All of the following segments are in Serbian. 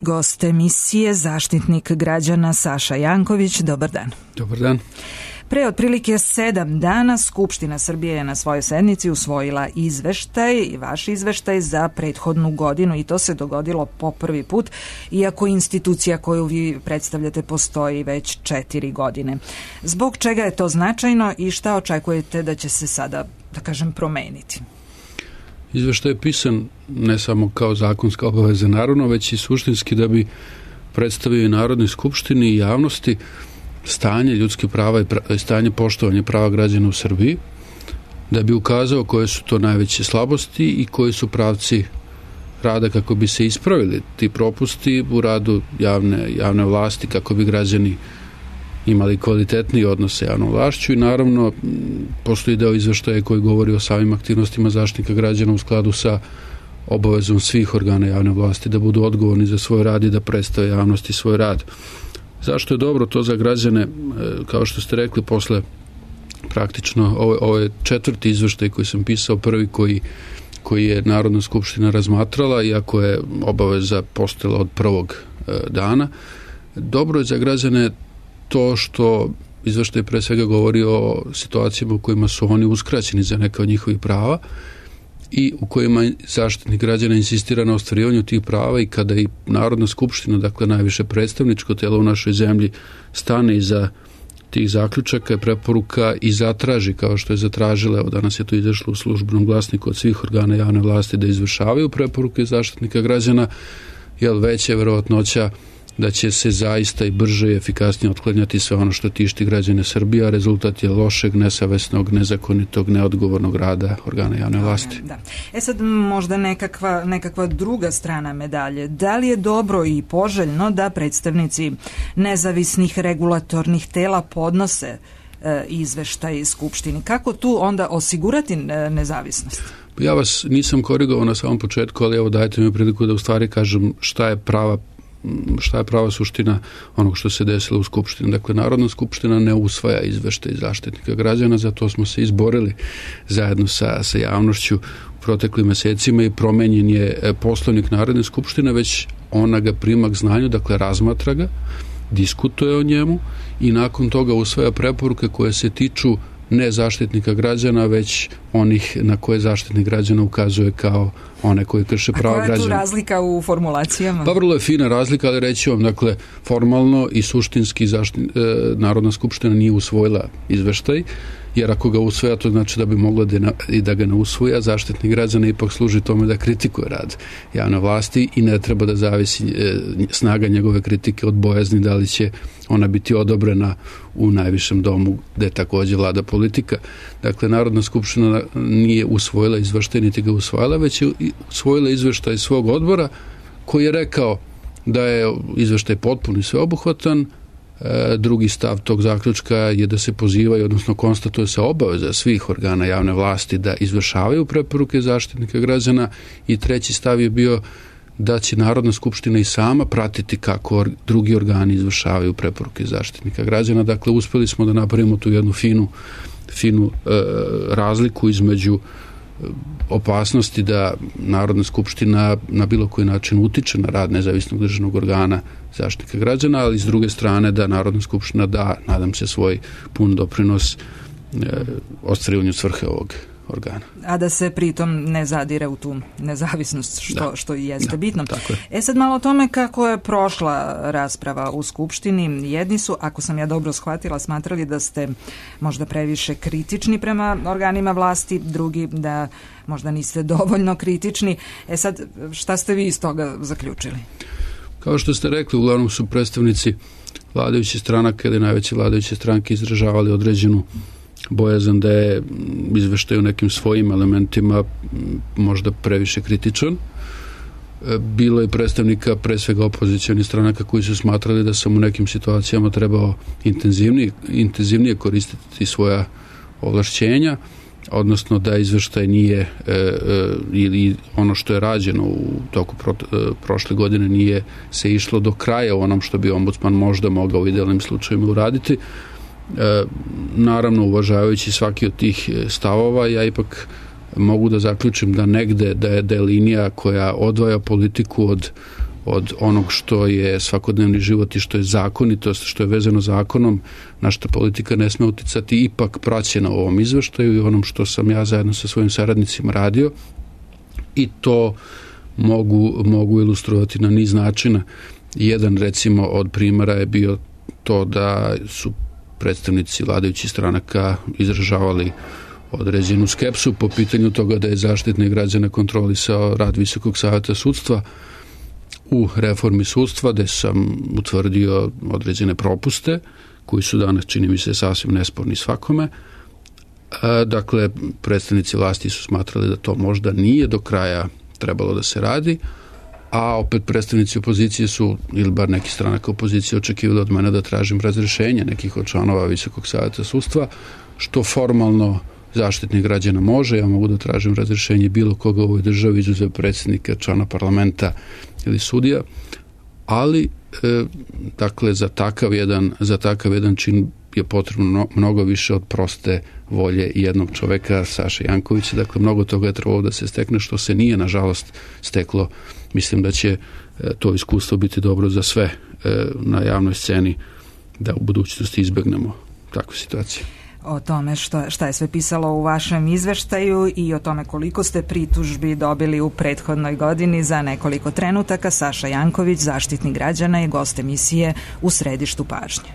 gost emisije, Zaštitnik građana Saša Janković. Dobar dan. Dobar dan. Pre otprilike 7 dana Skupština Srbije je na svojoj sednici usvojila izveštaj i vaš izveštaj za prethodnu godinu i to se dogodilo po prvi put, iako institucija koju vi predstavljate postoji već 4 godine. Zbog čega je to značajno i šta očekujete da će se sada, da kažem, promeniti? Izveštaj je pisan ne samo kao zakonska obaveza naravno, već i suštinski da bi predstavio i Narodnoj skupštini i javnosti stanje ljudskih prava i stanje poštovanja prava građana u Srbiji, da bi ukazao koje su to najveće slabosti i koji su pravci rada kako bi se ispravili ti propusti u radu javne vlasti, kako bi građani imali kvalitetniji odnos sa javnom vlašću i naravno postoji deo izveštaja koji govori o samim aktivnostima Zaštitnika građana u skladu sa obavezom svih organa javne vlasti da budu odgovorni za svoj rad i da predstave javnosti svoj rad. Zašto je dobro to za građane? Kao što ste rekli, posle praktično ovo je 4. izveštaj koji sam pisao, prvi koji je Narodna skupština razmatrala, iako je obaveza postojala od prvog dana. Dobro je za građane to što izveštaj pre svega govori o situacijama u kojima su oni uskraćeni za neka od njihovih prava i u kojima Zaštitnik građana insistira na ostvarivanju tih prava i kada i Narodna skupština, dakle najviše predstavničko telo u našoj zemlji, stane iza tih zaključaka i preporuka i zatraži, kao što je zatražila, evo danas je to izašlo u Službenom glasniku od svih organa javne vlasti da izvršavaju preporuke Zaštitnika građana, veća je verovatnoća da će se zaista i brže i efikasnije otklanjati sve ono što tišti građane Srbije, a rezultat je lošeg, nesavesnog, nezakonitog, neodgovornog rada organa javne vlasti. Da. Sad možda nekakva druga strana medalje. Da li je dobro i poželjno da predstavnici nezavisnih regulatornih tela podnose izveštaj Skupštini? Kako tu onda osigurati nezavisnost? Ja vas nisam korigovao na samom početku, ali evo dajte mi priliku da u stvari kažem šta je prava suština onog što se desilo u Skupštini. Dakle, Narodna skupština ne usvaja izveštaj Zaštitnika građana, zato smo se izborili zajedno sa javnošću u proteklim mesecima i promenjen je Poslovnik Narodne skupštine, već ona ga prima k znanju, dakle razmatra ga, diskutuje o njemu i nakon toga usvaja preporuke koje se tiču ne Zaštitnika građana, već onih na koje Zaštitnik građana ukazuje kao one koji krše prava građana. A koja je tu razlika u formulacijama? Pa vrlo je fina razlika, ali reći vam, dakle, formalno i suštinski Narodna skupština nije usvojila izveštaj, jer ako ga usvoja, to znači da bi mogla i da ga ne usvoja. Zaštitnik građana ipak služi tome da kritikuje rad javne vlasti i ne treba da zavisi snaga njegove kritike od bojazni da li će ona biti odobrena u najvišem domu gde takođe vlada politika. Dakle, Narodna skupština nije usvojila izveštaj, niti ga usvojila, već je usvojila izveštaj svog odbora koji je rekao da je izveštaj potpun i sveobuhvatan. Drugi stav tog zaključka je da se pozivaju, odnosno konstatuje se obaveza svih organa javne vlasti da izvršavaju preporuke Zaštitnika građana i treći stav je bio da će Narodna skupština i sama pratiti kako drugi organi izvršavaju preporuke Zaštitnika građana. Dakle, uspeli smo da napravimo tu jednu finu razliku između opasnosti da Narodna skupština na bilo koji način utiče na rad nezavisnog državnog organa Zaštitnika građana, ali s druge strane da Narodna skupština da, nadam se, svoj pun doprinos ostvarivanju svrhe ovog organa. A da se pritom ne zadire u tu nezavisnost, što i jeste bitno. Tako je. Sad malo o tome kako je prošla rasprava u Skupštini. Jedni su, ako sam ja dobro shvatila, smatrali da ste možda previše kritični prema organima vlasti, drugi da možda niste dovoljno kritični. Sad, šta ste vi iz toga zaključili? Kao što ste rekli, uglavnom su predstavnici vladajućih stranaka ili najveće vladajuće stranke izražavali određenu bojazan da je izveštaj u nekim svojim elementima možda previše kritičan. Bilo je predstavnika pre svega opozicionih stranaka koji su smatrali da sam u nekim situacijama trebao intenzivnije koristiti svoja ovlašćenja, odnosno da izveštaj nije ili ono što je rađeno u toku prošle godine nije se išlo do kraja u onom što bi ombudsman možda mogao u idealnim slučajima uraditi. Naravno, uvažavajući svaki od tih stavova, ja ipak mogu da zaključim da negde da je linija koja odvaja politiku od onog što je svakodnevni život i što je zakonitost, što je vezano zakonom, na što politika ne sme uticati, ipak praćena u ovom izveštaju i onom što sam ja zajedno sa svojim saradnicima radio, i to mogu ilustrovati na niz načina. Jedan, recimo, od primjera je bio to da su predstavnici vladajućih stranaka izražavali određenu skepsu po pitanju toga da je Zaštitnik građana kontrolisao rad Visokog saveta sudstva u reformi sudstva, gde sam utvrdio određene propuste koji su danas, čini mi se, sasvim nesporni svakome. Dakle, predstavnici vlasti su smatrali da to možda nije do kraja trebalo da se radi, a opet predstavnici opozicije su, ili bar neki stranaka opozicije, očekivali od mene da tražim razrešenje nekih od članova Visokog saveta sudstva, što formalno Zaštitnik građana može. Ja mogu da tražim razrešenje bilo koga u ovoj državi, izuzev predsjednika, člana parlamenta ili sudija, ali dakle za takav jedan čin je potrebno mnogo više od proste volje jednog čoveka, Saše Jankovića. Dakle, mnogo toga je trebalo da se stekne, što se nije, nažalost, steklo. Mislim da će to iskustvo biti dobro za sve na javnoj sceni, da u budućnosti izbegnemo takvu situaciju. O tome šta je sve pisalo u vašem izveštaju i o tome koliko ste pritužbi dobili u prethodnoj godini za nekoliko trenutaka. Saša Janković, Zaštitnik građana, je gost emisije U središtu pažnje.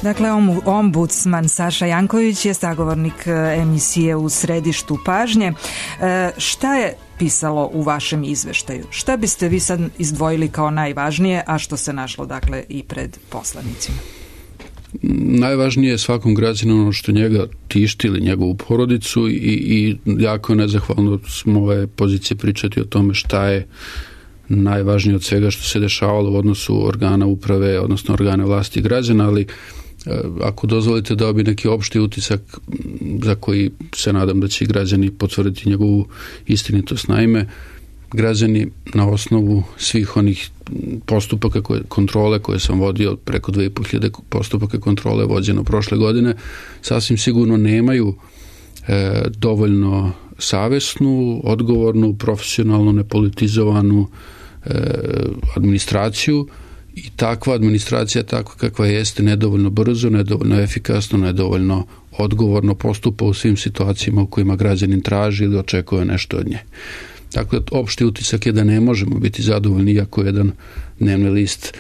Dakle, ombudsman Saša Janković je sagovornik emisije U središtu pažnje. Šta je pisalo u vašem izveštaju? Šta biste vi sad izdvojili kao najvažnije, a što se našlo, dakle, i pred poslanicima? Najvažnije je svakom građaninu ono što njega tišti ili njegovu porodicu i jako nezahvalno s moje pozicije pričati o tome šta je najvažnije od svega što se dešavalo u odnosu organa uprave, odnosno organa vlasti građana, ali ako dozvolite dao bi neki opšti utisak za koji se nadam da će građani potvrditi njegovu istinitost. Naime, građani na osnovu svih onih postupaka kontrole koje sam vodio, preko 2500 postupaka kontrole vođeno prošle godine, sasvim sigurno nemaju dovoljno savesnu, odgovornu, profesionalnu, nepolitizovanu administraciju. I takva administracija, takva kakva jeste, nedovoljno brzo, nedovoljno efikasno, nedovoljno odgovorno postupa u svim situacijama u kojima građanin traži ili očekuje nešto od nje. Dakle, opšti utisak je da ne možemo biti zadovoljni, iako jedan dnevni list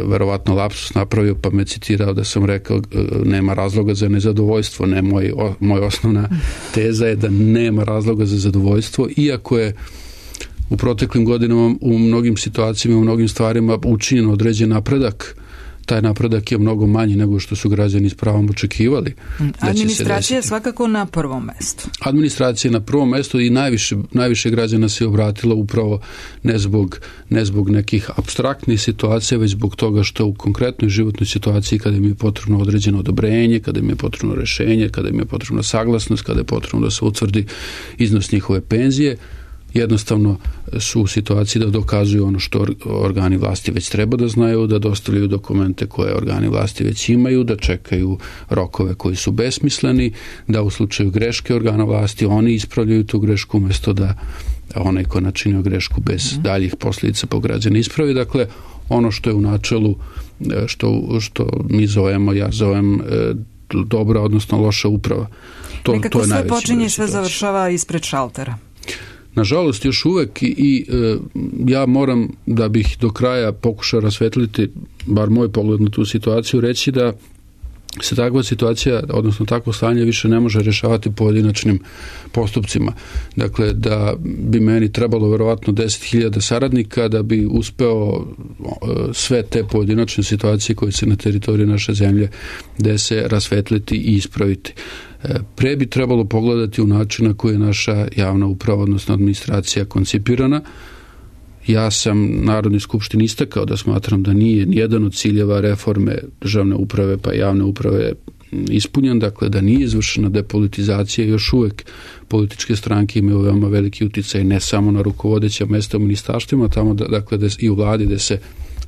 verovatno lapsus napravio, pa me citirao da sam rekao nema razloga za nezadovoljstvo. Ne, moja osnovna teza je da nema razloga za zadovoljstvo, iako je u proteklim godinama u mnogim situacijama, u mnogim stvarima učinjen određen napredak. Taj napredak je mnogo manji nego što su građani s pravom očekivali. Administracija je svakako na prvom mestu. Administracija je na prvom mestu i najviše građana se obratilo upravo ne zbog nekih apstraktnih situacija, već zbog toga što u konkretnoj životnoj situaciji, kada im je potrebno određeno odobrenje, kada im je potrebno rešenje, kada im je potrebno saglasnost, kada je potrebno da se utvrdi iznos njihove penzije, jednostavno su u situaciji da dokazuju ono što organi vlasti već treba da znaju, da dostavljaju dokumente koje organi vlasti već imaju, da čekaju rokove koji su besmisleni, da u slučaju greške organa vlasti oni ispravljaju tu grešku umjesto da onaj ko načinio grešku bez daljih posljedica po građane ispravi. Dakle, ono što je u načelu, što mi zovemo, ja zovem dobra, odnosno loša uprava. Nekako sve počinje, sve završava ispred šaltera. Nažalost, još uvek i ja moram, da bih do kraja pokušao rasvetliti bar moj pogled na tu situaciju, reći da se takva situacija, odnosno takvo stanje više ne može rješavati pojedinačnim postupcima. Dakle, da bi meni trebalo verovatno 10.000 saradnika da bi uspeo sve te pojedinačne situacije koje se na teritoriji naše zemlje dese rasvetliti i ispraviti. Pre bi trebalo pogledati u način na koji je naša javna uprava, odnosno administracija koncipirana. Ja sam Narodnoj skupštini istakao da smatram da nije nijedan od ciljeva reforme državne uprave pa javne uprave ispunjen, dakle da nije izvršena depolitizacija. Još uvek političke stranke imaju veoma veliki uticaj ne samo na rukovodeća mesta u ministarstvima, tamo dakle i u vladi gde se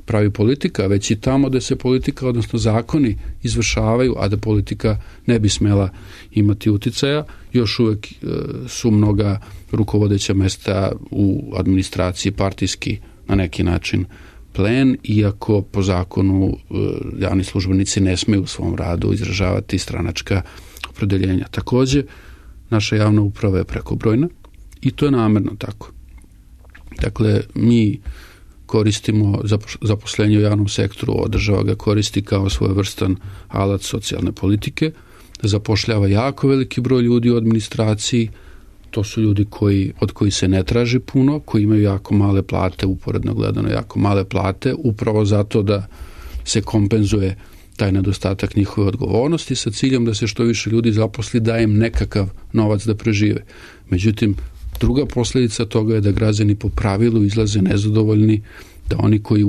pravi politika, već i tamo gde se politika, odnosno zakoni izvršavaju, a da politika ne bi smela imati uticaja. Još uvek su mnoga rukovodeća mesta u administraciji partijski na neki način plen, iako po zakonu javni službenici ne smeju u svom radu izražavati stranačka opredeljenja. Takođe, naša javna uprava je prekobrojna i to je namerno tako. Dakle, mi koristimo zaposlenje u javnom sektoru, država ga koristi kao svojevrstan alat socijalne politike, zapošljava jako veliki broj ljudi u administraciji, to su ljudi od koji se ne traži puno, koji imaju jako male plate, uporedno gledano jako male plate, upravo zato da se kompenzuje taj nedostatak njihove odgovornosti sa ciljem da se što više ljudi zaposli, da im nekakav novac da prežive. Međutim, druga posljedica toga je da građani po pravilu izlaze nezadovoljni, da oni koji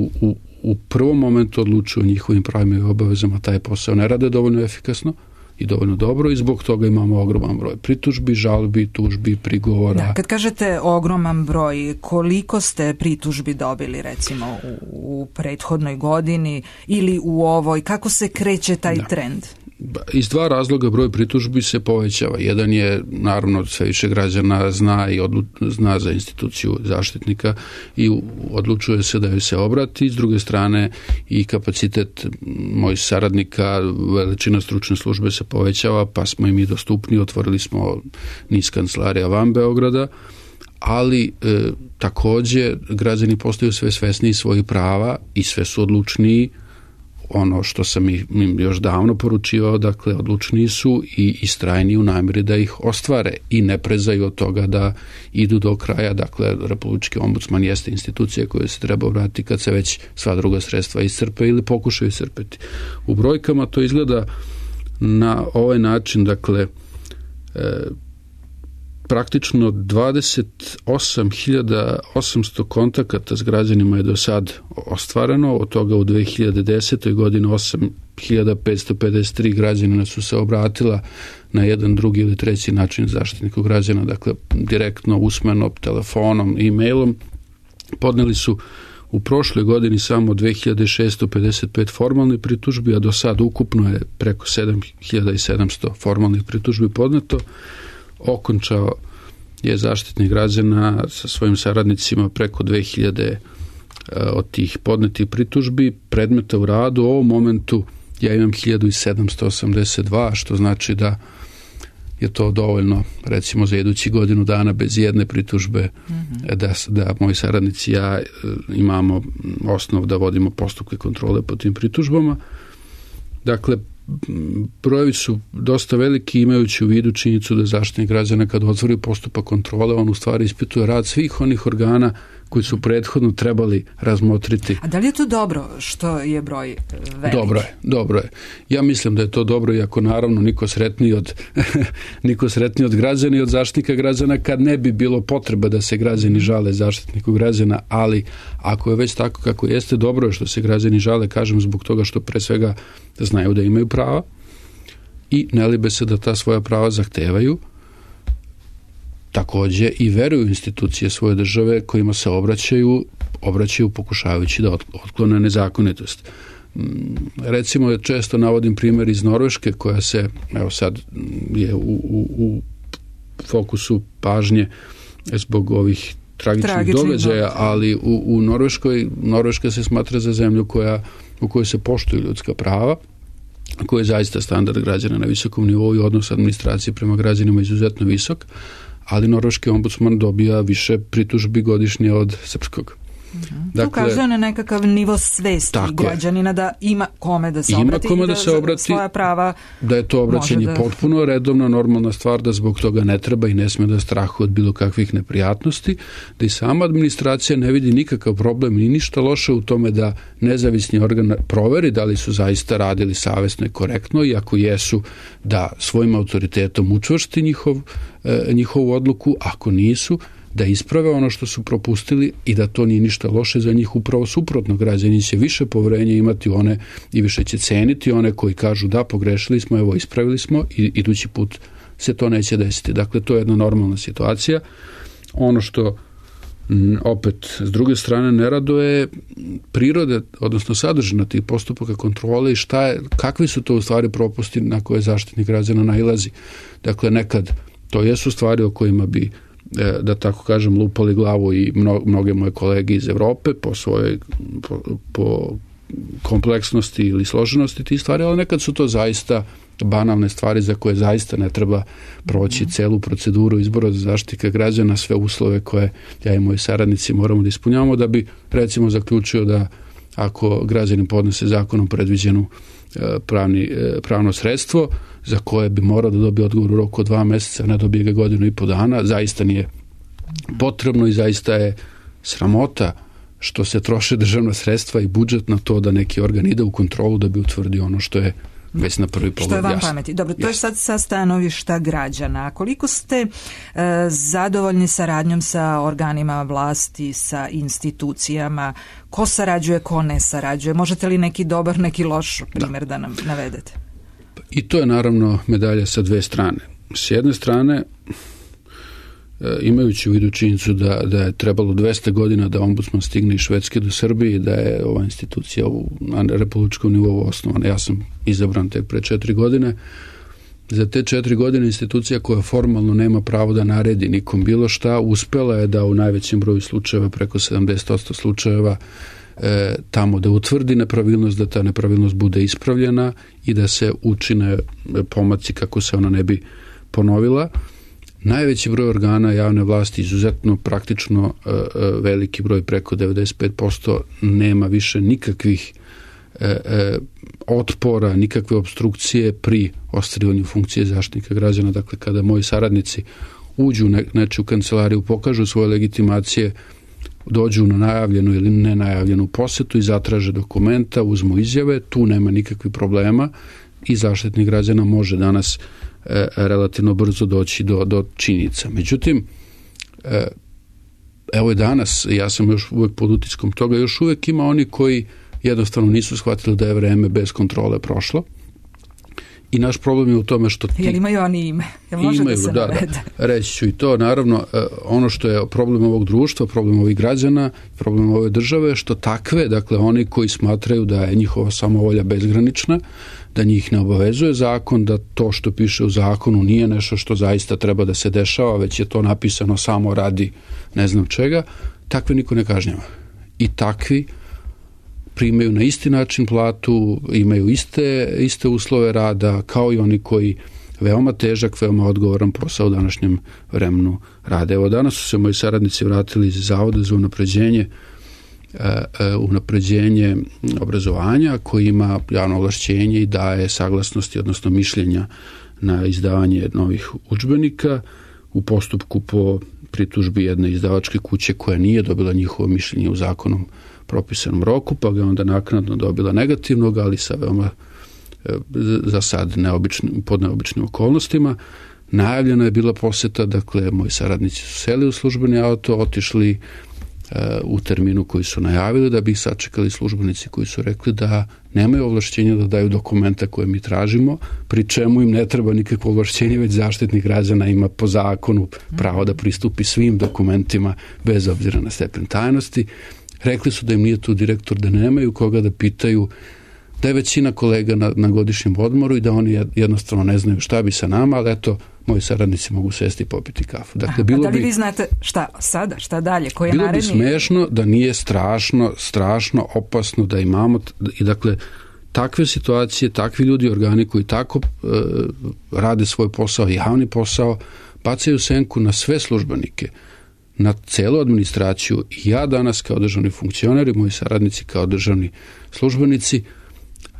u prvom momentu odlučuju o njihovim pravima i obavezama taj posao ne rade dovoljno efikasno i dovoljno dobro i zbog toga imamo ogroman broj pritužbi, žalbi, tužbi, prigovora. Da, kad kažete ogroman broj, koliko ste pritužbi dobili recimo u prethodnoj godini ili u ovoj, kako se kreće taj trend? Iz dva razloga broj pritužbi se povećava. Jedan je, naravno, sve više građana zna za instituciju zaštitnika i odlučuje se da joj se obrati. S druge strane, i kapacitet mojih saradnika, veličina stručne službe se povećava, pa smo im i dostupni. Otvorili smo niz kancelarija van Beograda, ali takođe građani postaju sve svesniji svojih prava i sve su odlučniji. Ono što sam im još davno poručivao, dakle, odlučniji su i istrajniji u namjeri da ih ostvare i ne prezaju od toga da idu do kraja. Dakle, Republički ombudsman jeste institucija koja se treba vratiti kad se već sva druga sredstva iscrpe ili pokušaju iscrpeti. U brojkama to izgleda na ovaj način, dakle, praktično 28.800 kontakata s građanima je do sad ostvareno, od toga u 2010. godini 8.553 građanina su se obratila na jedan, drugi ili treći način zaštitniku građana, dakle direktno, usmeno, telefonom, e-mailom. Podneli su u prošloj godini samo 2.655 formalnih pritužbi, a do sad ukupno je preko 7.700 formalnih pritužbi podneto. Okončao je zaštitnik građana sa svojim saradnicima preko 2000 od tih podnetih pritužbi. Predmeta u radu u ovom momentu ja imam 1782, što znači da je to dovoljno recimo za idući godinu dana bez jedne pritužbe da moji saradnici i ja imamo osnov da vodimo postupke kontrole po tim pritužbama. Dakle, brojevi su dosta veliki, imajući u vidu činjenicu da zaštitnik građana kad otvori postupak kontrole, on u stvari ispituje rad svih onih organa koji su prethodno trebali razmotriti. A da li je to dobro što je broj veliki? Dobro je. Ja mislim da je to dobro, iako naravno niko sretniji od građana i od zaštitnika građana kad ne bi bilo potreba da se građani žale zaštitniku građana, ali ako je već tako kako jeste, dobro je što se građani žale, kažem, zbog toga što pre svega znaju da imaju prava i ne libe se da ta svoja prava zahtevaju. Takođe i veruju institucije svoje države kojima se obraćaju pokušavajući da otklone nezakonitost. Recimo, često navodim primjer iz Norveške koja se, evo sad je u fokusu pažnje zbog ovih tragičnih događaja, ali u Norveška se smatra za zemlju u kojoj se poštuju ljudska prava, koji je zaista standard građana na visokom nivou i odnos administracije prema građanima izuzetno visok, ali norveški ombudsman dobija više pritužbi godišnje od srpskog. Dakle, ukazuje na nekakav nivo svesti građanina da ima kome da se obrati i da svoja prava da je to obraćanje potpuno redovna, normalna stvar, da zbog toga ne treba i ne sme da strahuje od bilo kakvih neprijatnosti, da i sama administracija ne vidi nikakav problem ni ništa loše u tome da nezavisni organ proveri da li su zaista radili savesno i korektno i ako jesu da svojim autoritetom učvrsti njihovu odluku, ako nisu da isprave ono što su propustili i da to nije ništa loše za njih, upravo suprotno. Građani će više poverenja imati one i više će ceniti one koji kažu da pogrešili smo, evo ispravili smo i idući put se to neće desiti. Dakle, to je jedna normalna situacija. Ono što opet s druge strane ne raduje prirode, odnosno sadržina tih postupaka kontrole i kakvi su to u stvari propusti na koje zaštitnik građana nailazi. Dakle, nekad to jesu stvari o kojima bi da tako kažem lupali glavu i mnoge moje kolege iz Evrope po kompleksnosti ili složenosti tih stvari, ali nekad su to zaista banalne stvari za koje zaista ne treba proći celu proceduru izbora za zaštitnika građana, sve uslove koje ja i moji saradnici moramo da ispunjavamo da bi recimo zaključio da ako građanin podnese zakonom predviđenu pravno sredstvo za koje bi morao da dobije odgovor u roku od 2 meseca, ne dobije ga 1,5 dana, zaista nije potrebno i zaista je sramota što se troše državna sredstva i budžet na to da neki organ ide u kontrolu da bi utvrdio ono što je već na prvi pogled jasno. Što je vam pameti. Dobro, to je sad sa stanovišta građana. A koliko ste zadovoljni saradnjom sa organima vlasti, sa institucijama? Ko sarađuje, ko ne sarađuje? Možete li neki dobar, neki loš primjer da nam navedete? I to je naravno medalja sa dve strane. S jedne strane, imajući u vidu činjenicu da je trebalo 200 godina da ombudsman stigne iz Švedske do Srbije i da je ova institucija na republičkom nivou osnovana. Ja sam izabran tek pre 4 godine. Za te 4 godine institucija koja formalno nema pravo da naredi nikom bilo šta, uspela je da u najvećem broju slučajeva, preko 70% slučajeva, tamo da utvrdi nepravilnost, da ta nepravilnost bude ispravljena i da se učine pomaci kako se ona ne bi ponovila. Najveći broj organa javne vlasti, izuzetno praktično veliki broj, preko 95%, nema više nikakvih otpora, nikakve obstrukcije pri ostvarivanju funkcije zaštitnika građana. Dakle, kada moji saradnici uđu u nečiju kancelariju, pokažu svoje legitimacije, dođu na najavljenu ili nenajavljenu posetu i zatraže dokumenta, uzmu izjave, tu nema nikakvih problema i zaštitnik građana može danas relativno brzo doći do činjenica. Međutim, evo je danas, ja sam još uvek pod utiskom toga, još uvek ima oni koji jednostavno nisu shvatili da je vreme bez kontrole prošlo. I naš problem je u tome što Jel imaju oni ime? Jel može da se navede? Reći ću i to. Naravno, ono što je problem ovog društva, problem ovih građana, problem ove države, što takve, dakle oni koji smatraju da je njihova samovolja bezgranična, da njih ne obavezuje zakon, da to što piše u zakonu nije nešto što zaista treba da se dešava, već je to napisano samo radi ne znam čega, takve niko ne kažnjava. I takvi primaju na isti način platu, imaju iste uslove rada kao i oni koji veoma težak, veoma odgovoran posao u današnjem vremenu rade. Evo danas su se moji saradnici vratili iz Zavoda za unapređenje obrazovanja koji ima javno ovlašćenje i daje saglasnosti, odnosno mišljenja na izdavanje novih udžbenika u postupku po pritužbi jedne izdavačke kuće koja nije dobila njihovo mišljenje u zakonom propisanom roku, pa ga onda naknadno dobila negativnog, ali sa veoma za sad pod neobičnim okolnostima. Najavljena je bila poseta, dakle moji saradnici su seli u službeni auto, otišli u terminu koji su najavili, da bi ih sačekali službenici koji su rekli da nemaju ovlašćenja da daju dokumenta koje mi tražimo, pri čemu im ne treba nikakvo ovlašćenje, već zaštitnik građana ima po zakonu pravo da pristupi svim dokumentima bez obzira na stepen tajnosti. Rekli su da im nije tu direktor, da nemaju koga da pitaju, da je većina kolega na godišnjem odmoru i da oni jednostavno ne znaju šta bi sa nama, ali eto, moji saradnici mogu sesti i popiti kafu. Dakle, da li vi znate šta sada, šta dalje, koji je naredni? Bilo bi smešno da nije strašno opasno da imamo, i dakle, takve situacije, takvi ljudi, organi koji tako rade svoj posao, javni posao, bacaju senku na sve službenike, na celu administraciju. Ja danas kao državni funkcioner i moji saradnici kao državni službenici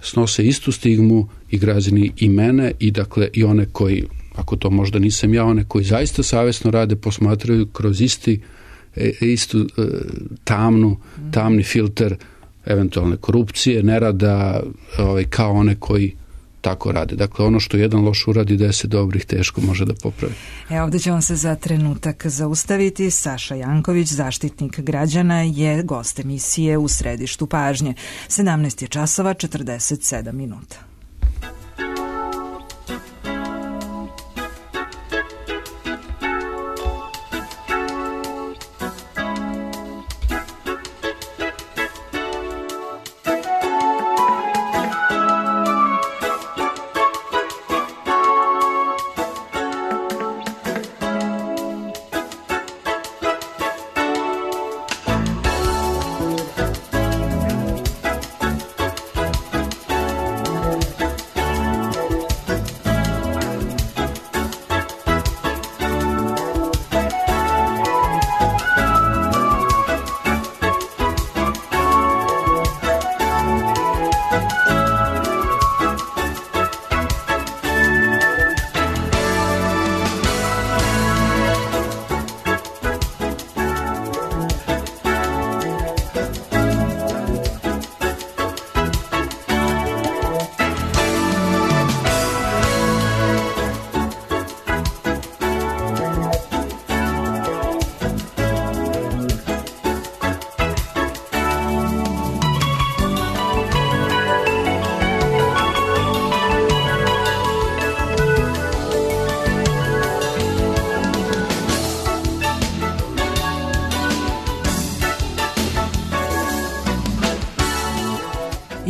snose istu stigmu i građani i mene i dakle i one koji, ako to možda nisam ja, one koji zaista savjesno rade, posmatraju kroz istu tamni filter eventualne korupcije, nerada, kao one koji tako rade. Dakle, ono što jedan loš uradi, 10 dobrih teško može da popravi. Ovdje ćemo se za trenutak zaustaviti. Saša Janković, zaštitnik građana, je gost emisije U središtu pažnje. 17 je časova, 47 minuta.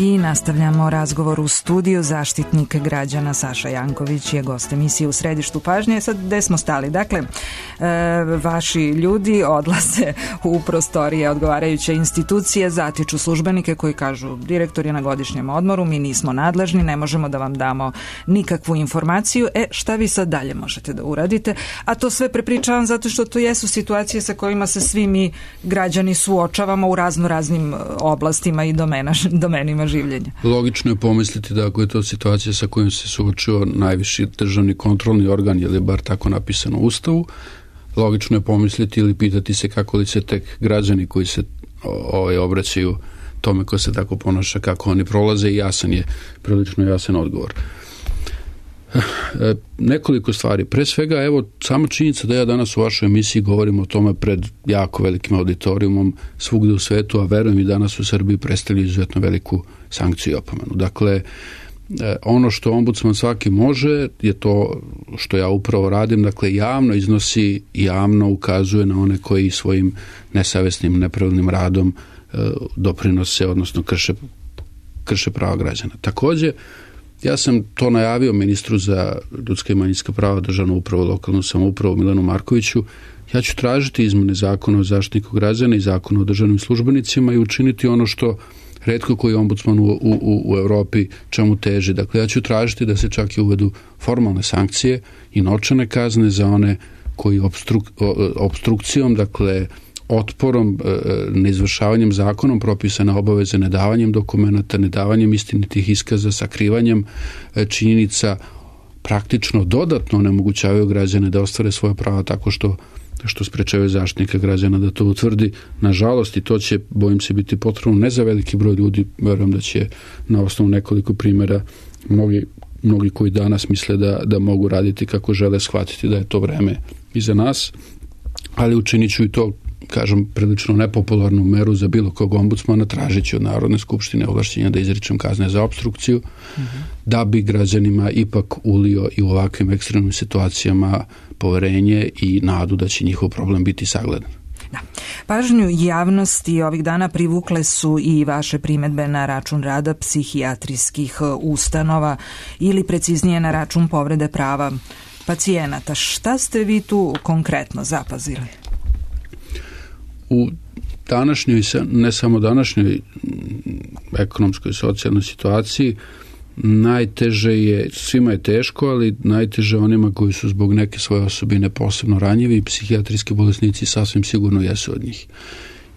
I nastavljamo razgovor u studiju. Zaštitnik građana Saša Janković je gost emisije U središtu pažnje. Sad, gde smo stali? Dakle, vaši ljudi odlaze u prostorije odgovarajuće institucije, zatiču službenike koji kažu: direktor je na godišnjem odmoru, mi nismo nadležni, ne možemo da vam damo nikakvu informaciju. Šta vi sad dalje možete da uradite? A to sve prepričavam zato što to jesu situacije sa kojima se svi mi građani suočavamo u raznim oblastima i domenima življenja. Logično je pomisliti da ako je to situacija sa kojom se suočio najviši državni kontrolni organ, je li bar tako napisano u Ustavu, logično je pomisliti ili pitati se kako li se tek građani koji se obraćaju tome ko se tako ponaša, kako oni prolaze, i prilično jasan odgovor. Nekoliko stvari. Pre svega, evo, sama činjenica da ja danas u vašoj emisiji govorim o tome pred jako velikim auditorijumom svugde u svetu, a verujem i danas u Srbiji, predstavlja izuzetno veliku sankciju i opomenu. Dakle, ono što ombudsman svaki može je to što ja upravo radim, dakle javno iznosi, javno ukazuje na one koji svojim nesavesnim, nepravilnim radom doprinose, odnosno krše prava građana. Takođe, ja sam to najavio ministru za ljudska i manjinska prava, državnu upravu, lokalnu samoupravu Milanu Markoviću. Ja ću tražiti izmene zakona o zaštitniku građana i zakona o državnim službenicima i učiniti ono što retko koji ombudsman u Evropi čemu teži. Dakle, ja ću tražiti da se čak i uvedu formalne sankcije i novčane kazne za one koji opstrukcijom, dakle otporom, neizvršavanjem zakonom propisane obaveze, nedavanjem dokumenata, nedavanjem istinitih iskaza, sakrivanjem činjenica, praktično dodatno onemogućavaju građane da ostvare svoje prava tako što sprečavaju zaštitnika građana da to utvrdi. Nažalost, i to će, bojim se, biti potrebno ne za veliki broj ljudi, verujem da će na osnovu nekoliko primjera mnogi koji danas misle da mogu raditi kako žele, shvatiti da je to vreme iza nas, ali učinit ću i to, kažem, prilično nepopularnu meru za bilo kog ombudsmana, tražeći od Narodne skupštine ovlašćenja da izričem kazne za opstrukciju, da bi građanima ipak ulio i u ovakvim ekstremnim situacijama poverenje i nadu da će njihov problem biti sagledan. Da. Pažnju javnosti ovih dana privukle su i vaše primedbe na račun rada psihijatrijskih ustanova ili preciznije na račun povrede prava pacijenata. Šta ste vi tu konkretno zapazili? U današnjoj, ne samo današnjoj ekonomskoj i socijalnoj situaciji, najteže je, svima je teško, ali najteže onima koji su zbog neke svoje osobine posebno ranjivi i psihijatrijski bolesnici sasvim sigurno jesu od njih.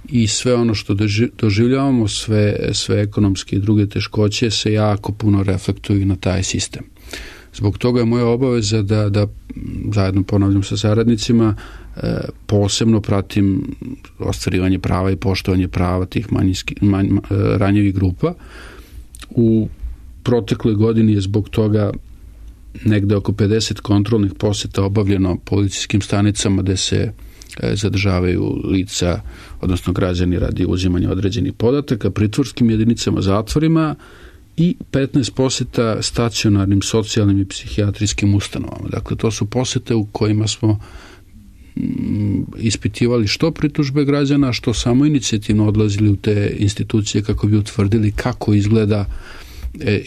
I sve ono što doživljavamo, sve ekonomske i druge teškoće se jako puno reflektuju na taj sistem. Zbog toga je moja obaveza da zajedno, ponavljam, sa saradnicima posebno pratim ostvarivanje prava i poštovanje prava tih ranjivih grupa. U protekloj godini je zbog toga negde oko 50 kontrolnih poseta obavljeno policijskim stanicama gde se zadržavaju lica, odnosno građani radi uzimanja određenih podataka, pritvorskim jedinicama, zatvorima i 15 poseta stacionarnim socijalnim i psihijatrijskim ustanovama. Dakle, to su posete u kojima smo ispitivali što pritužbe građana, što samo inicijativno odlazili u te institucije kako bi utvrdili kako izgleda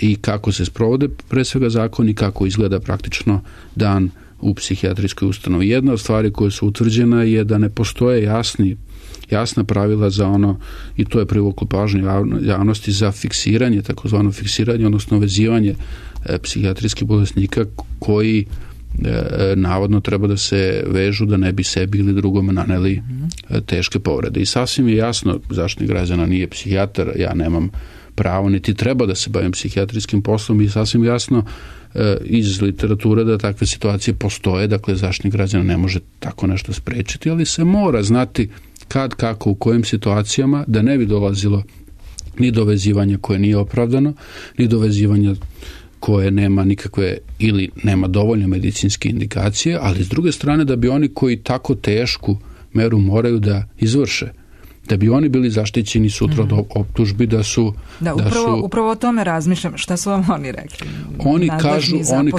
i kako se sprovode pre svega zakon i kako izgleda praktično dan u psihijatrijskoj ustanovi. Jedna od stvari koje su utvrđena je da ne postoje jasna pravila za ono, i to je privuklo pažnju javnosti, za fiksiranje, takozvano fiksiranje, odnosno vezivanje psihijatrijskih bolesnika koji navodno treba da se vežu da ne bi sebi ili drugome naneli teške povrede. I sasvim je jasno, Zaštitnik građana nije psihijatar, ja nemam pravo niti treba da se bavim psihijatrijskim poslom i sasvim jasno iz literature da takve situacije postoje, dakle Zaštitnik građana ne može tako nešto sprečiti, ali se mora znati kad, kako, u kojim situacijama, da ne bi dolazilo ni do vezivanja koje nije opravdano, ni do vezivanja koje nema nikakve ili nema dovoljno medicinske indikacije, ali s druge strane da bi oni koji tako tešku meru moraju da izvrše, da bi oni bili zaštićeni sutra od optužbi da su... Upravo o tome razmišljam. Šta su vam oni rekli? Oni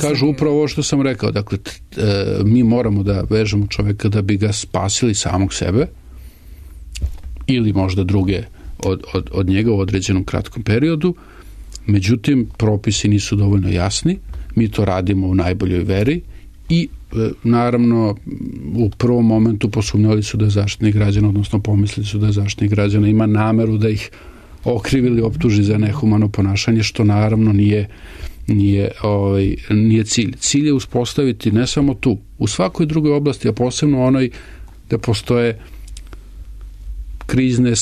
kažu upravo ovo što sam rekao. Dakle, mi moramo da vežemo čoveka da bi ga spasili samog sebe ili možda druge od njega u određenom kratkom periodu. Međutim, propisi nisu dovoljno jasni. Mi to radimo u najboljoj veri i naravno u prvom momentu posumnjali su da je Zaštitnik građana, odnosno pomislili su da je Zaštitnik građana ima nameru da ih okrivi ili optuži za nehumano ponašanje, što naravno nije cilj. Cilj je uspostaviti ne samo tu, u svakoj drugoj oblasti, a posebno onoj da postoje krizne,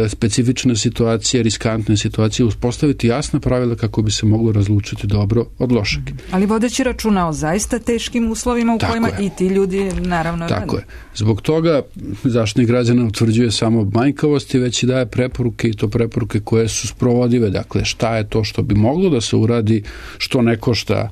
specifične situacije, riskantne situacije, uspostaviti jasna pravila kako bi se moglo razlučiti dobro od lošeg. Ali vodeći računa o zaista teškim uslovima u kojima i ti ljudi naravno... Tako je. Zbog toga Zaštitnik građana utvrđuje samo manjkavosti, već i daje preporuke, i to preporuke koje su sprovodive. Dakle, šta je to što bi moglo da se uradi, što ne košta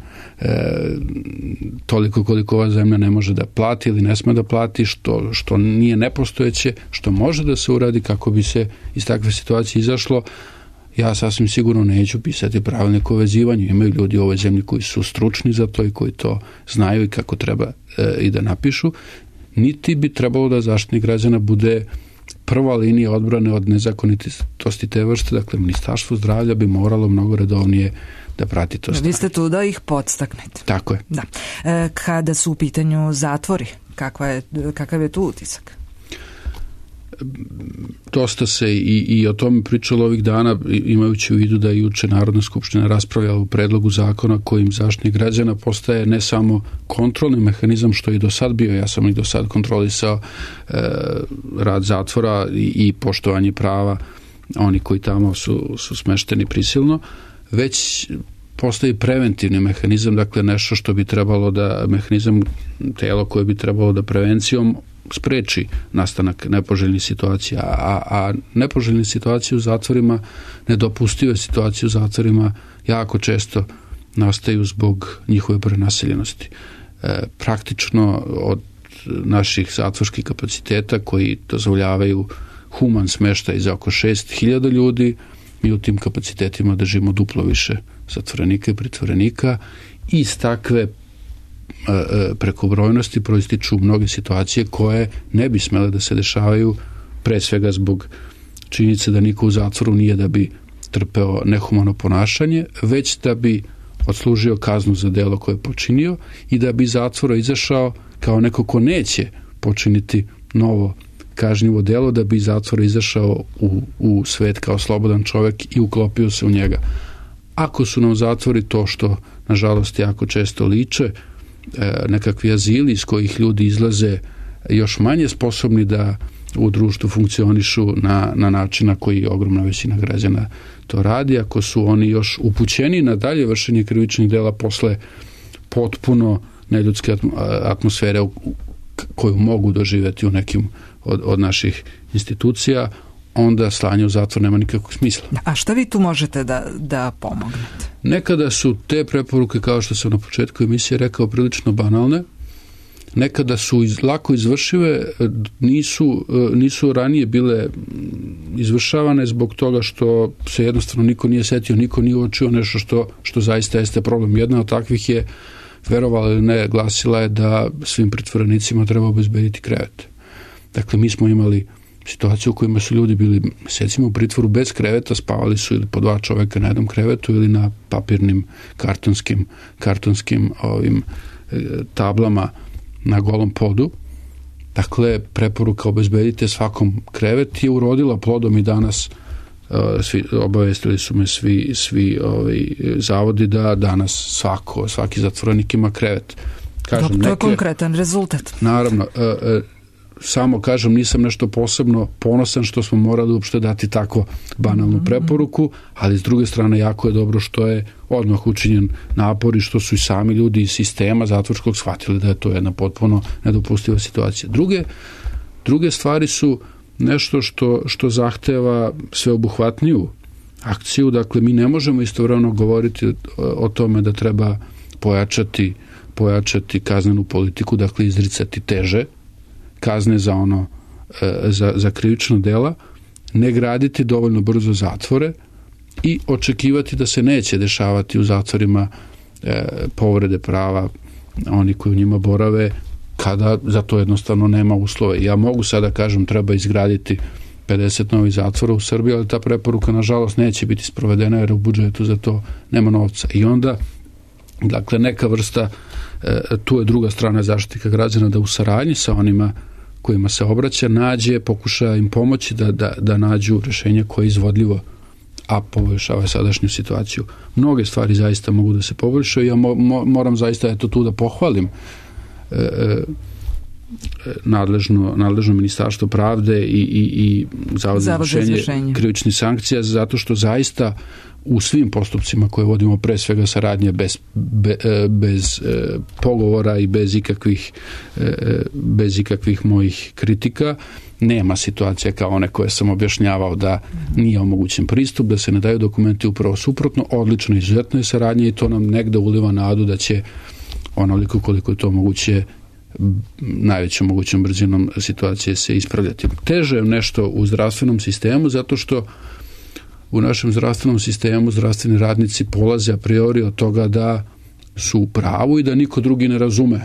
toliko koliko ova zemlja ne može da plati ili ne sme da plati, što nije nepostojeće, što može da se uradi kako bi se iz takve situacije izašlo. Ja sasvim sigurno neću pisati pravilnik o vezivanju. Imaju ljudi u ovoj zemlji koji su stručni za to i koji to znaju i kako treba i da napišu. Niti bi trebalo da Zaštitnik građana bude prva linija odbrane od nezakonitosti te vrste. Dakle, Ministarstvo zdravlja bi moralo mnogo redovnije da prati to stanje. Vi ste tu da ih podstaknete. Tako je. Da. Kada su u pitanju zatvori, kakav je tu utisak? Dosta se i o tome pričalo ovih dana, imajući u vidu da je juče Narodna skupština raspravljala u predlogu zakona kojim Zaštitnik građana postaje ne samo kontrolni mehanizam, što je i do sad bio, ja sam i do sad kontrolisao rad zatvora i poštovanje prava oni koji tamo su smešteni prisilno, već postoji preventivni mehanizam, dakle nešto što bi trebalo da, mehanizam, telo koje bi trebalo da prevencijom spreči nastanak nepoželjnih situacija, a nepoželjne situacije u zatvorima, nedopustive situacije u zatvorima jako često nastaju zbog njihove prenaseljenosti. Praktično od naših zatvorskih kapaciteta koji dozvoljavaju human smeštaj za oko 6.000 ljudi, mi u tim kapacitetima držimo duplo više zatvorenika i pritvorenika i iz takve prekobrojnosti proističu mnoge situacije koje ne bi smele da se dešavaju, pre svega zbog činjenice da niko u zatvoru nije da bi trpeo nehumano ponašanje, već da bi odslužio kaznu za delo koje je počinio i da bi iz zatvora izašao kao neko ko neće počiniti novo kažnjivo delo, da bi iz zatvora izašao u svet kao slobodan čovjek i uklopio se u njega. ako su nam zatvori to što nažalost jako često liče, nekakvi azili iz kojih ljudi izlaze još manje sposobni da u društvu funkcionišu na način na koji ogromna većina građana to radi, ako su oni još upućeni na dalje vršenje krivičnih dela posle potpuno neljudske atmosfere koju mogu doživjeti u nekim od naših institucija, onda slanje u zatvor nema nikakvog smisla. A šta vi tu možete da pomognete? Nekada su te preporuke, kao što sam na početku emisije rekao, prilično banalne. Nekada su lako izvršive, nisu ranije bile izvršavane zbog toga što se jednostavno niko nije setio, niko nije uočio nešto što zaista jeste problem. Jedna od takvih je, verovala ili ne, glasila je da svim pritvorenicima treba obezbediti krevet. Dakle, mi smo imali situaciju u kojima su ljudi bili mesecima u pritvoru bez kreveta, spavali su ili po 2 čoveka na jednom krevetu ili na papirnim kartonskim tablama na golom podu. Dakle, preporuka obezbedite svakom krevet je urodila plodom i danas obavestili su me svi zavodi da danas svaki zatvorenik ima krevet. Kažem, to je konkretan rezultat. Naravno, samo kažem, nisam nešto posebno ponosan što smo morali uopšte dati tako banalnu preporuku, ali s druge strane jako je dobro što je odmah učinjen napor i što su i sami ljudi iz sistema zatvorskog shvatili da je to jedna potpuno nedopustiva situacija. Druge stvari su nešto što zahteva sveobuhvatniju akciju. Dakle, mi ne možemo istovremeno govoriti o tome da treba pojačati kaznenu politiku, dakle izricati teže kazne za krivična dela, ne graditi dovoljno brzo zatvore i očekivati da se neće dešavati u zatvorima povrede prava oni koji u njima borave, kada za to jednostavno nema uslove. Ja mogu sada kažem treba izgraditi 50 novih zatvora u Srbiji, ali ta preporuka nažalost neće biti sprovedena jer u budžetu za to nema novca. I onda, dakle, neka vrsta, tu je druga strana Zaštitnika građana, da u saradnji sa onima kojima se obraća pokuša im pomoći da nađu rješenje koje je izvodljivo, a poboljšava sadašnju situaciju. Mnoge stvari zaista mogu da se poboljšaju. Ja moram zaista tu da pohvalim nadležno Ministarstvo pravde i Zavod za izvršenje krivičnih sankcija, zato što zaista u svim postupcima koje vodimo, pre svega saradnje bez pogovora i bez ikakvih mojih kritika, nema situacija kao one koje sam objašnjavao da nije omogućen pristup, da se ne daju dokumenti, upravo suprotno, odlično, izuzetno je saradnje i to nam negde uliva nadu da će onoliko koliko je to moguće najvećom mogućom brzinom situacije se ispravljati. Teže je nešto u zdravstvenom sistemu, zato što u našem zdravstvenom sistemu zdravstveni radnici polaze a priori od toga da su u pravu i da niko drugi ne razume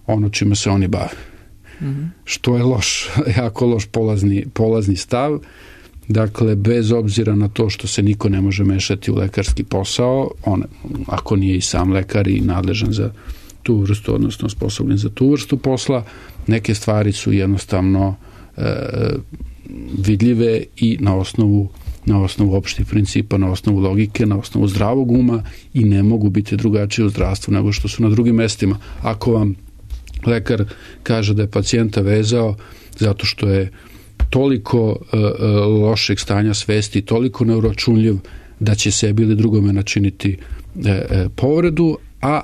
ono čime se oni bave. Što je jako loš polazni stav. Dakle, bez obzira na to što se niko ne može mešati u lekarski posao, ako nije i sam lekar i nadležan za tu vrstu, odnosno sposobljen za tu vrstu posla, neke stvari su jednostavno vidljive i na osnovu opštih principa, na osnovu logike, na osnovu zdravog uma i ne mogu biti drugačije u zdravstvu nego što su na drugim mestima. Ako vam lekar kaže da je pacijenta vezao zato što je toliko lošeg stanja svesti, toliko neuračunljiv da će sebi ili drugome načiniti povredu, a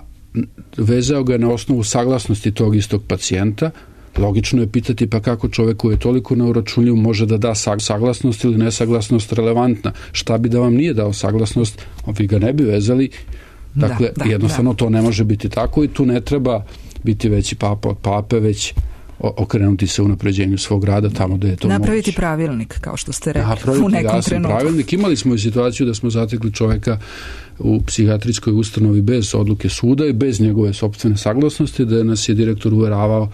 vezao ga na osnovu saglasnosti tog istog pacijenta, logično je pitati pa kako čovjek koji je toliko neuračunljiv može da da saglasnost ili nesaglasnost relevantna. Šta bi da vam nije dao saglasnost, vi ga ne bi vezali. Dakle, jednostavno to ne može biti tako i tu ne treba biti veći papa od pape, već okrenuti se unapređenju svog rada tamo gde je to napraviti moguće. Pravilnik, kao što ste rekli u nekom trenutku. Pravilnik. Imali smo i situaciju da smo zatekli čoveka u psihijatrijskoj ustanovi bez odluke suda i bez njegove sopstvene saglasnosti, da nas je direktor uveravao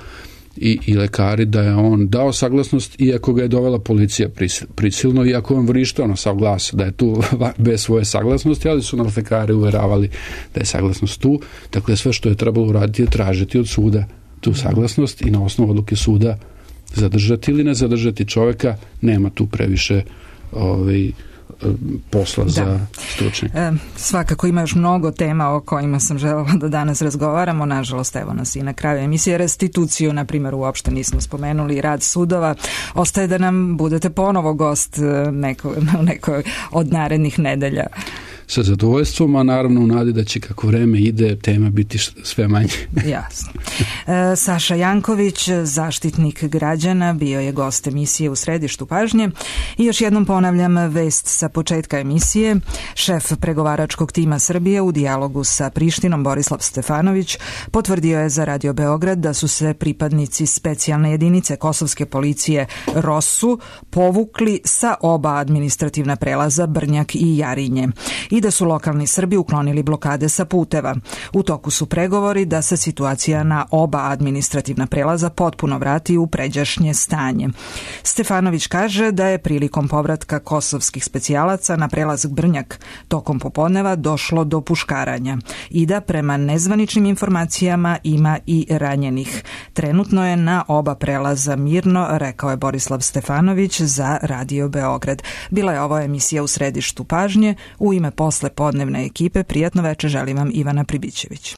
i lekari da je on dao saglasnost, iako ga je dovela policija prisilno, iako on vrištao na sav glas da je tu bez svoje saglasnosti, ali su nas lekari uveravali da je saglasnost tu. Dakle, sve što je trebalo uraditi je tražiti od suda tu saglasnost i na osnovu odluke suda zadržati ili ne zadržati čoveka. Nema tu previše posla za stručnjaka. Svakako ima još mnogo tema o kojima sam želela da danas razgovaramo. Nažalost, evo nas i na kraju emisije. Restituciju, na primjer, uopšte nismo spomenuli, rad sudova. Ostaje da nam budete ponovo gost u nekoj od narednih nedelja. Sa zadovoljstvom, a naravno u nadi da će kako vreme ide tema biti sve manje. Jasno. Saša Janković, zaštitnik građana, bio je gost emisije U središtu pažnje. I još jednom ponavljam vest sa početka emisije. Šef pregovaračkog tima Srbije u dijalogu sa Prištinom Borislav Stefanović potvrdio je za Radio Beograd da su se pripadnici specijalne jedinice kosovske policije ROSU povukli sa oba administrativna prelaza Brnjak i Jarinje i da su lokalni Srbi uklonili blokade sa puteva. U toku su pregovori da se situacija na oba administrativna prelaza potpuno vrati u pređašnje stanje. Stefanović kaže da je prilikom povratka kosovskih specijalaca na prelaz Brnjak tokom popodneva došlo do puškaranja i da prema nezvaničnim informacijama ima i ranjenih. Trenutno je na oba prelaza mirno, rekao je Borislav Stefanović za Radio Beograd. Bila je ovo emisija U središtu pažnje. U ime poslepodnevne ekipe prijatno veče želim vam Ivana Pribićević.